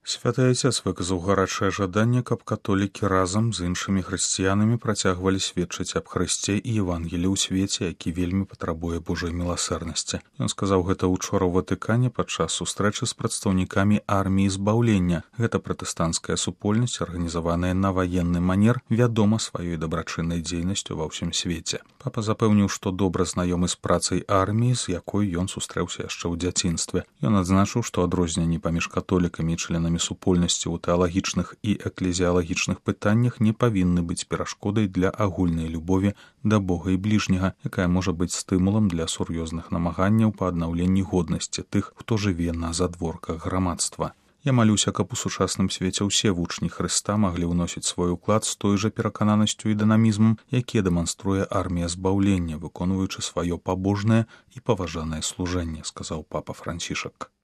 Святы Айцец выказаў гарачае жаданне, каб католікі разам з іншымі хрысціянамі працягвалі сведчыць аб Хрысце і Евангелі ў свеце, які вельмі патрабуе Божай міласэрнасці. Ён сказаў гэта учора ў Ватыкане падчас сустрэчы з прадстаўнікамі арміі збаўлення. Гэта пратэстанцкая супольнасць, арганізаваная на ваенны манер, вядома сваёй дабрачыннай дзейнасцю ва ўсім свеце. Папа запэўніў, што добра знаёмы з працай арміі, з якой ён сустрэўся яшчэ ў дзяцінстве. Ён адзначыў, што адрозненні паміж католікамі і членамі супольнасці ў тэалагічных і эклезіялагічных пытаннях не павінны быць перашкодай для агульнай любові да Бога і бліжняга, якая можа быць стымулам для сур'ёзных намаганняў па аднаўленні годнасці тых, хто жыве на задворках грамадства. Я малюся, каб у сучасным свеце ўсе вучні Хрыста маглі ўносіць свой уклад з той жа перакананасцю і дынамізмам, які дэманструе армія збаўлення, выконваючы сваё пабожнае і паважанае служэнне, сказаў папа Францішак.